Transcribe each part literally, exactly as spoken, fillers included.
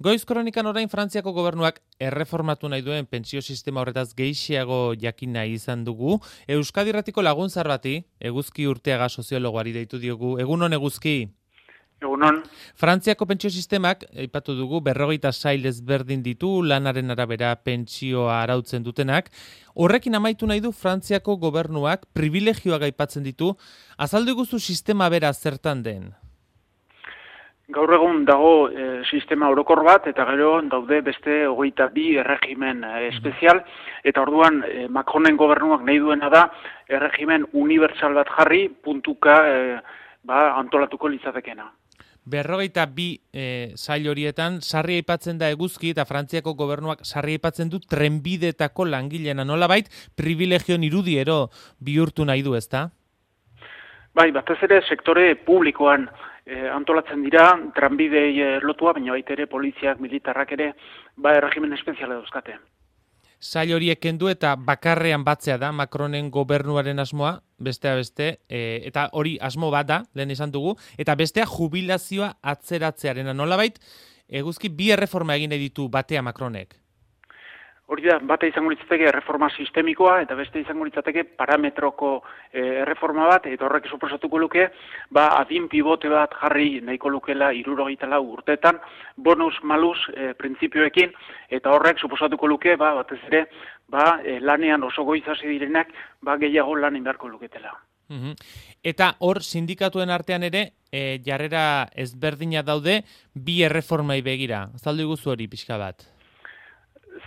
Goiz kronikan orain Frantziako gobernuak erreformatu nahi duen pentsio sistema horretaz gehiago jakin nahi izan dugu. Euskadi Irratiko laguntzar bati, Eguzki Urteaga soziologoari deitu diogu. Egunon Eguzki. Egunon. Frantziako pentsio sistemak, aipatu dugu, berrogeita sail ezberdin ditu, lanaren arabera pentsioa arautzen dutenak. Horrekin amaitu nahi du Frantziako gobernuak privilegioak aipatzen ditu. Azaldu guzu sistema bera zertan den? Gaur egun dago e, sistema orokor bat, eta gero daude beste hogeita bi erregimen e, espezial, eta orduan e, Macronen gobernuak nahi duena da erregimen unibertsal bat jarri, puntuka e, ba, antolatuko litzatekena. Berrogeita bi e, sail horietan, sarri aipatzen da Eguzki, eta Frantziako gobernuak sarri aipatzen du trenbideetako langileena, nolabait privilegion irudiero bihurtu nahi du, ezta? Bai, batez ere sektore publikoan e, antolatzen dira, tranbidei e, lotua, baina baita ere poliziak, militarrak ere, ba, erregimen espeziala dauzkate. Sail horiek kendu eta bakarrean batzea da Macronen gobernuaren asmoa, bestea beste, e, eta hori asmo bat da, lehen esan dugu, eta bestea jubilazioa atzeratzearena. Nolabait, Eguzki bi erreforma egin ditu batea Macronek. Hori da, bate izango litzateke erreforma sistemikoa eta beste izango litzateke parametroko e, erreforma bat, eta horrek suposatuko luke, ba, adin pivote bat jarri nahiko lukela hirurogeita lau urtetan, bonus malus e, printzipioekin, eta horrek suposatuko luke, ba, batez ere, ba, e, lanean oso goiz hasi direnak, ba, gehiago lan indarko luketela. Uhum. Eta hor sindikatuen artean ere, e, jarrera ezberdina daude, bi erreformai begira. Azaldu guzu hori pixka bat.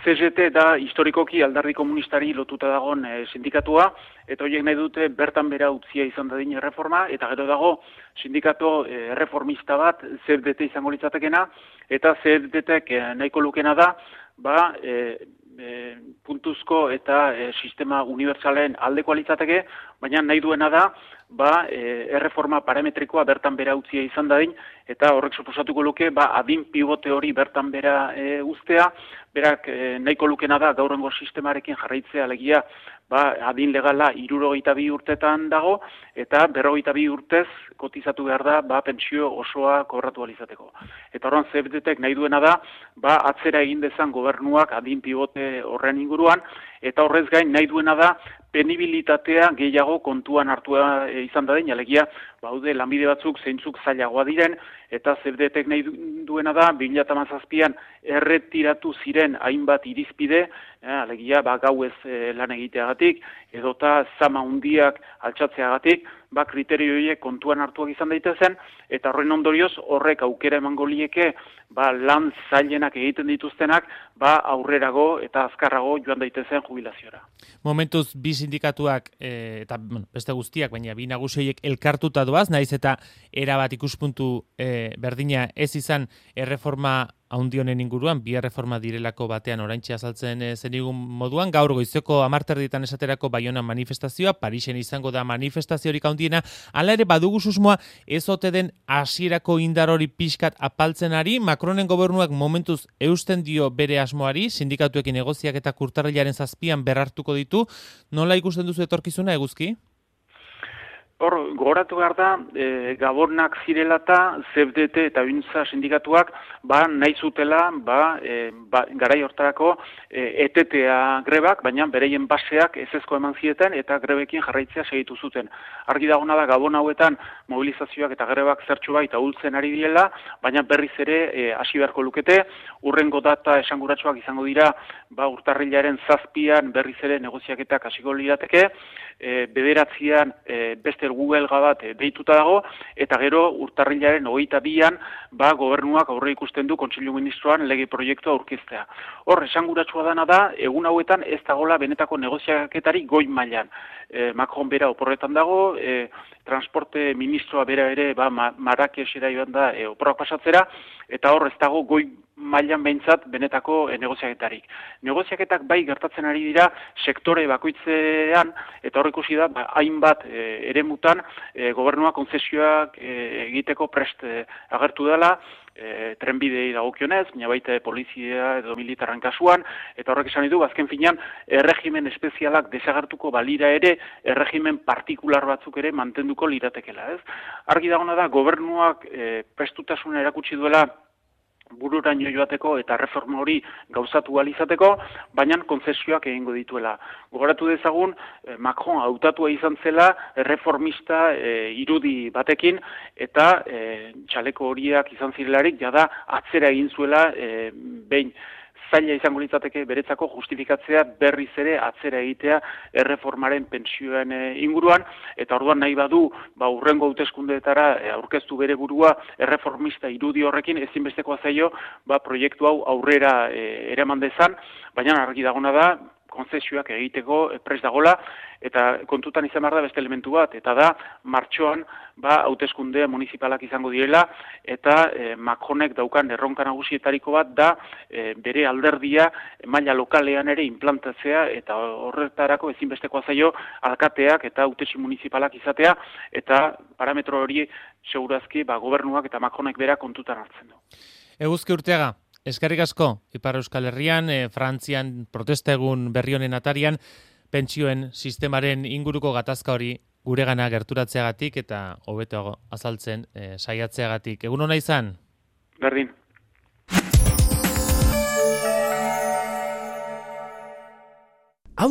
C G T da historikoki alderdi komunistari lotuta dagoen e, sindikatua, eta horiek nahi dute bertan bera utzia izan dadin erreforma, eta gero dago sindikato e, erreformista bat, C F D T izango litzatekena, eta C F D T e, nahiko lukena da, ba, e, e, puntuzko eta e, sistema unibertsalen aldeko litzateke, baina nahi duena da, ba, e, erreforma parametrikoa bertan bera utzia izan dadin, eta horrek suposatuko luke, ba, adin pivote hori bertan bera e, uztea, berak e, nahiko lukena da gaurrengo sistemarekin jarraitzea alegia, ba, adin legala hirurogeita bi urtetan dago, eta berrogeita bi urtez kotizatu behar da, ba, pentsio osoa kobratu alizateko. Eta horren C F D Tek nahi duena da, ba, atzera egin dezan gobernuak adin pivote horren inguruan, eta horrez gain nahi duena da, penibilitatea gehiago kontuan hartua e, izan da den, alegia, baude lanbide batzuk zeintzuk zailagoa diren, eta C F D Tek nahi duena da, bi mila hamazazpian erretiratu ziren hainbat irizpide, eh, alegia, ba, gauez e, lan egiteagatik, edota zama hundiak altxatzeagatik, ba, kriterio horiek kontuan hartuak izan daitezen, eta horren ondorioz horrek aukera emango lieke, ba, lan zailenak egiten dituztenak, ba, aurrerago eta azkarrago joan daitezen jubilaziora. Momentuz bi sindikatuak e, eta bueno, beste guztiak, baina bi nagusiek elkartuta doaz, naiz eta erabat ikuspuntu e, berdina ez izan erreforma haundionen inguruan, bi erreforma direlako batean oraintxe azaltzen e, zenigun moduan, gaur goizeko hamarterditan esaterako Baionan manifestazioa, Parisen izango da manifestaziorik handiena, hala ere badugu susmoa ez ote den hasierako indar hori pixkat apaltzen ari, Macronen gobernuak momentuz eusten dio bere asmoari, sindikatuekin negoziak eta urtarrilaren zazpian berrartuko ditu, nola ikusten duzu etorkizuna Eguzki? Hor, gogoratu behar da, e, Gabonak zirelata, C F D T eta Untza sindikatuak, ba, nahi zutela, ba, e, ba, garai hortarako e, etetea grebak, baina bereien baseak ezezko eman zieten eta grebekin jarraitzea segitu zuten. Argi dagona da, Gabon hauetan mobilizazioak eta grebak zertxo baita ultzen ari direla, baina berriz ere e, hasi beharko lukete, urrengo data esanguratsuak izango dira, ba, urtarrilaren zazpian berriz ere negoziaketak hasiko lirateke, e, bederatzian e, beste Google bat deituta dago, eta gero urtarrilaren hogeita bian, ba, gobernuak aurre ikusten du Kontseilu Ministroan lege proiektua aurkeztea. Hor, esanguratsua dana da, egun hauetan ez dagoela benetako negoziaketari goi mailan. E, Macron bera oporretan dago, e, transporte ministroa bera ere, ba, Marrakesera joan da e, oporrak pasatzera, eta hor ez dago goi mailan behintzat benetako e, negoziaketarik. Negoziaketak bai gertatzen ari dira sektore bakoitzean, eta hor ikusi da, ba, hainbat e, eremutan e, gobernua konzesioak e, egiteko prest e, agertu dela, e, trenbidei dagokionez, baina baita polizia edo militarren kasuan, eta horrek esan ditu, azken finean, erregimen espezialak desagertuko balira ere, erregimen partikular batzuk ere mantenduko liratekela, ez? Argi dagona da, gobernuak e, prestutasuna erakutsi duela bururaino joateko eta reforma hori gauzatu ahal izateko, baina kontzesioak egingo dituela. Gogoratu dezagun, Macron hautatua izan zela erreformista e, irudi batekin, eta e, txaleko horiak izan zirelarik, jada atzera egin zuela e, behin. Zaila izango litzateke beretzako justifikatzea berriz ere atzera egitea erreformaren pentsioen inguruan, eta orduan nahi badu, ba, urrengo hauteskundeetara aurkeztu bere burua erreformista irudi horrekin ezinbestekoa zaio, ba, proiektu hau aurrera e, eraman dezan, baina argi dagona da, konzesioak egiteko prest dagola, eta kontutan izan behar da beste elementu bat, eta da, martxoan, ba, hauteskunde municipalak izango direla, eta e, Macronek daukan erronka nagusietariko bat da e, bere alderdia maila lokalean ere implantatzea, eta horretarako ezinbestekoa zaio alkateak eta hautesi municipalak izatea, eta parametro hori segurazki ba, gobernuak eta Macronek bera kontutan hartzen du. Eguzki Urteaga, eskerrik asko, Ipar Euskal Herrian, e, Frantzian protesta egun berri honen atarian, pentsioen sistemaren inguruko gatazka hori guregana gerturatzeagatik eta hobeto azaltzen e, saiatzeagatik. Egun ona izan? Berdin.